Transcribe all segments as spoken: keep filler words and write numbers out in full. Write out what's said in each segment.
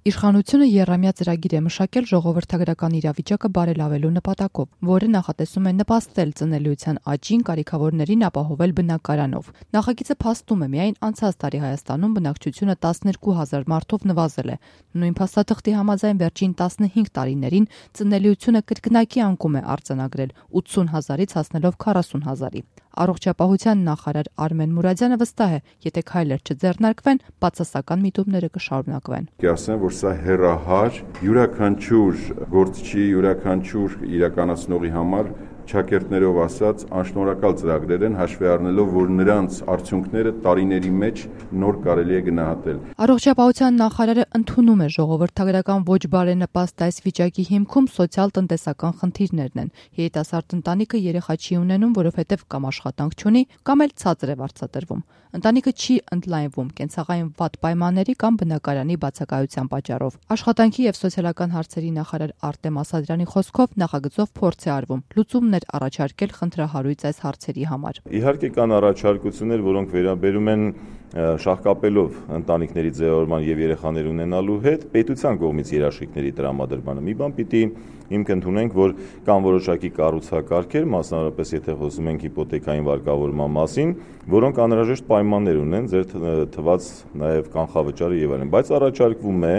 Իշխանությունը եռամյա ծրագիր է մշակել ժողովրդագրական իրավիճակը բարելավելու նպատակով, որը նախատեսում է նպաստել ծնելիության աճին, կարիքավորներին ապահովել բնակարանով։ Նախագիծը փաստում է, միայն անցած տարի Հայաստանում բնակչությունը տասներկու հազար մարդով նվազել է։ Նույն փաստաթղթի համաձայն վերջին տասնհինգ տարիներին ծնելիությունը կրկնակի անկում է արձանագրել ութսուն հազարից հասնելով քառասուն հազարի։ Առողջապահության նախարար Արմեն Մուրադյանը վստահ է, եթե քայլեր չձեռնարկվեն, բացասական միտումները կշարունակվեն։ Կասեմ, որ սա հեռահար յուրաքանչյուր գործչի, յուրաքանչյուր իրականացնողի համար ճակերտներով ասած անշնորհակալ ծրագրեր են, հաշվի առնելով, որ նրանց արդյունքները տարիների մեջ նոր կարելի է գնահատել։ Առողջապահության նախարարը ընդունում է ժողովրդագրական ոչ բարենպաստ այս վիճակի հիմքում սոցիալ-տնտեսական խնդիրներն են։ Երիտասարդ ընտանիքը երեխա չի ունենում, որովհետև կամ աշխատանք չունի, կամ էլ ցածր է վարձատրվում։ Ընտանիքը չի ընդլայնվում կենցաղային վատ պայմանների կամ բնակարանի բացակայության պատճառով։ Աշխատանքի եւ սոցիալական հարցերի նախարար Արտեմ Ասատրյանի խոսքով նախագծով փորձ է արվում լուծումներ առաջարկել խնդրահարույց այս հարցերի համար։ Իհարկե կան առաջարկություններ, որոնք վերաբերում են շահկապելով ընտանիքների ձևավորման եւ երեխաներ ունենալու հետ պետության կողմից երաշխիքների տրամադրմանը։ Մի բան պիտի հիմք ընդունենք, որ կան որոշակի կառուցակարգեր, մասնավորապես եթե խոսում ենք հիպոթեկային վարկավորման մասին, որոնք անհրաժեշտ պայմաններ ունեն, ձեր թված նաեւ կանխավճարը եւ այլն, բայց առաջարկվում է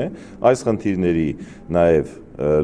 այս խնդիրների նաեւ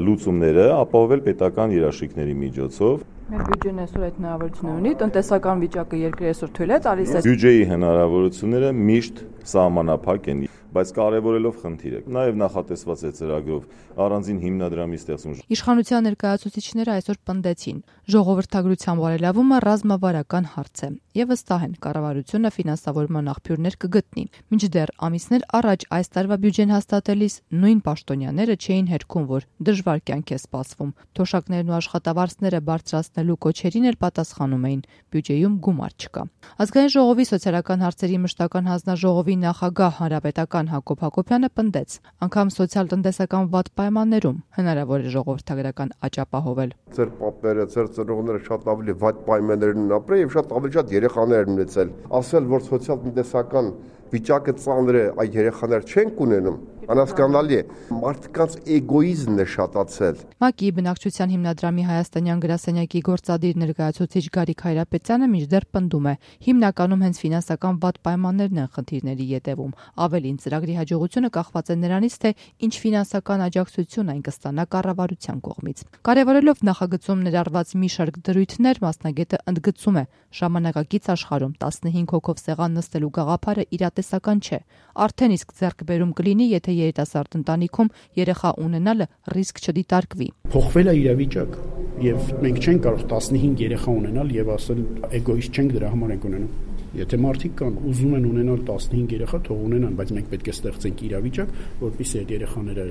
լուծումները ապահովել պետական երաշխիքների միջոցով։ Մեր բյուջեն այսօր այդ հնարավորությունը ունի, տնտեսական վիճակը երկրի այսօր թույլ է տալիս է։ Բյուջեի հնարավորությունները միշտ սահմանափակ են, բայց կարևորելով խնդիրը։ Նաև նախատեսված է ծրագրով առանձին հիմնադրամի ստեղծում։ Իշխանության ներկայացուցիչները այսօր պնդեցին, ժողովրդագրության բարելավումը ռազմավարական հարց է եւ վստահ են կառավարությունը ֆինանսավորման աղբյուրներ կգտնի։ Մինչդեռ ամիսներ առաջ այս տարվա բյուջեն հաստատելիս նույն պաշտոնյաները չէին հերքում, որ դժվար կյանք է սպասվում։ Թոշակներն ու աշխատավարձները բարձրացնելու կոչերին էլ պատասխանում էին, բյուջեում գումար չկա։ Ազգային ժողովի սոցիալական հարցերի մշտական հանձնաժողովի նախագահ հանրապետական Հակոբ Հակոբյանը պնդեց, անգամ սոցիալ-տնտեսական վատ պայմաններում հնարավոր է ժողովրդագրական աճ ապահովել։ Ձեր պապերը, ձեր ծնողները շատ ավելի վատ պայմաններում են ապրել եւ շատ ավելի շատ երեխաներ են ունեցել։ Ասել, որ սոցիալ-տնտեսական վիճակը ծանր է, այդ երեխաներ չենք ունենում, անհասկանալի է։ Մարդկանց էգոիզմն է շատացել։ ՄԱԿ-ի բնակչության հիմնադրամի հայաստանյան գրասենյակի գործադիր ներկայացուցիչ Գարիկ Հայրապետյանը մինչդեռ պնդում է, հիմնականում հենց ֆինանսական վատ պայմաններն են խնդիրների ետևում։ Ավելին, ծրագրի հաջողությունը կախված է նրանից, թե ինչ ֆինանսական աջակցություն այն կստանա կառավարության կողմից։ Կարևորելով նախագծում ներառված մի շարք դրույթներ, մասնագետը ընդգծում է, ժամանակակից աշխարհում տասնհինգ հոգով սեղան նստելու գաղափարը իրատեսական չէ։ Արդեն իսկ ձեռքբերում կլինի, եթե երիտասարդ ընտանիքում երեխա ունենալը ռիսկ չդիտարկվի։ Փոխվել է իրավիճակը եւ մենք չենք կարող տասնհինգ երեխա ունենալ եւ ասել էգոիստ չենք, դրա համար ենք ունենում։ Եթե մարդիկ կան ուզում են ունենալ տասնհինգ երեխա, թող ունենան, բայց մենք պետք է ստեղծենք իրավիճակ, որպեսզի այդ երեխաները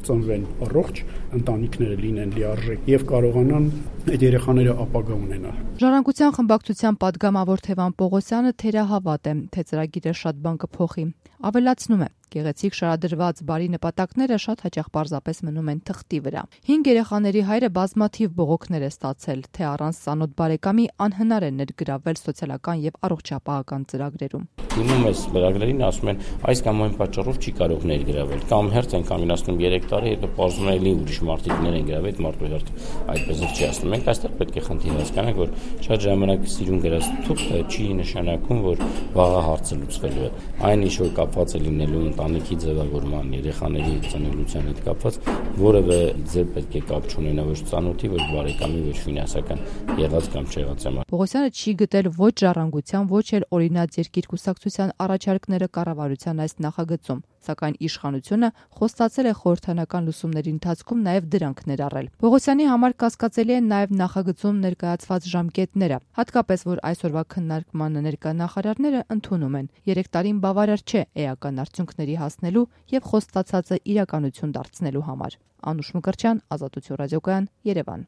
ծնվեն առողջ, ընտանիքները լինեն լիարժեք եւ կարողանան այդ երեխաները ապագա ունենալ։ Ժառանգության խմբակցության падգամավոր Թևան Պողոսյանը թերահավատ է, թե ծրագիրը շատ բան կփոխի։ Ավելացնում է, գեղեցիկ շարադրված բարի նպատակները շատ հաճախ պարզապես մնում են թղթի վրա։ Հինգ երեխաների հայրը բազմաթիվ բողոքներ է ստացել, թե առանց ծանոթ բարեկամի անհնար է ներգրավել սոցիալական եւ առողջապահական ծրագրերում։ Դիմում ես ծրագրերին, ասում են այս կամ այն պատճառով չի կարող ներգրավել։ Կամ հերթ են կամինացնում երեք տարի, հետո պարզվում է էլի ուրիշ մարդիկ են գրավել, այդ մարդու հերթ այդպես չի ասում։ Մենք այստեղ պետք է խնդիր հասկանանք, որ շատ ժամանակ սիրուն գրած թուղթը չի նշանակում, որ վաղը հարցը լուծվելու է։ Այն ինչ որ կապված է լինելու ընտանիքի ձևավորման, երեխաների ծնելիության հետ կապված, որևէ ձեր պետք է կապ չունենա ոչ ծանոթի, ոչ բարեկամի, ոչ ֆինանսական եղած կամ չեղած համար։ Պողոսյանը չի գտել ոչ ժառանգության, ոչ էլ օրինաց երկիր կուսակցության առաջարկները կառավարության այս նախագծում, սակայն իշխանությունը խոստացել է խորհրդանական լուսումների ընթացքում նաև դրանք ներառել։ Պողոսյանի համար կասկածելի են նաև նախագծում ներկայացված ժամկետները, հատկապես որ այսօրվա քննարկմանը ներկա նախարարները ընդունում են։ Երեք տարին բավարար չէ էական արդյունքների հասնելու եւ խոստացածը իրականություն դարձնելու համար։ Անուշ Մկրտչյան, Ազատություն ռադիոկայան, Երևան։